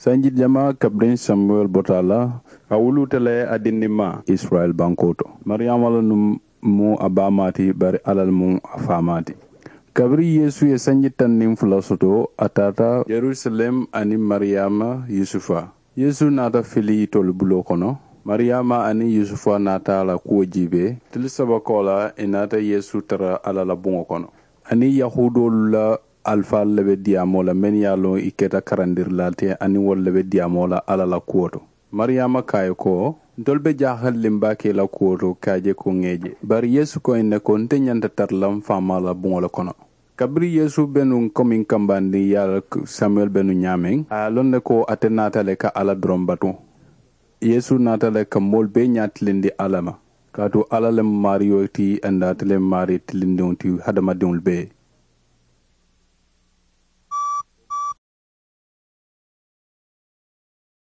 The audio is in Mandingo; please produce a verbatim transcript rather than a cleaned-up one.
Sanji jamaa kabiriŋ samuwel bota a la, ka wuluuta le a dindimmaa isirayila bankoo to. Mariyaama la nuŋ mu a baamaa ti, bari alla le mu a faamaa ti. Kabiriŋ yeesu ye sanji taŋ niŋ fula soto, a taata yerusalem aniŋ mariyaama yusufa. Yeesu naata fili itolu buloo kono. Mariyaama aniŋ yusufa naata a la kuwo jiibee. Tili saba koolaa i naata yeesu tara alla la buŋo kono. Aniŋ yahuudoolu la alifaalu le be diyaamoo la mennu ye a loŋ i keta karandirilaalu ti, aniŋ wolu le be diyaamoo la alla la kuwo to. Mariyaama ko a ye ko, ntolu be jaahali le m baake i la kuwo to ka a je ko ŋa i je. Bari yeesu ko ì ne ko nte ñanta tara la m faamaa la buŋo le kono. Kabiriŋ yeesu be nuŋ komiŋ kambandiŋ ye a la samuwel be nuŋ ñaameŋ, a ye a loŋ ne ko ate naata le ka alla doroŋ batu. Yeesu naata le ka moolu bee ñaa tilindi alla ma. Kaatu alla le mu maariyo ti, aniŋ ate le mu maarii tilindiŋo ti hadamadiŋolu bee.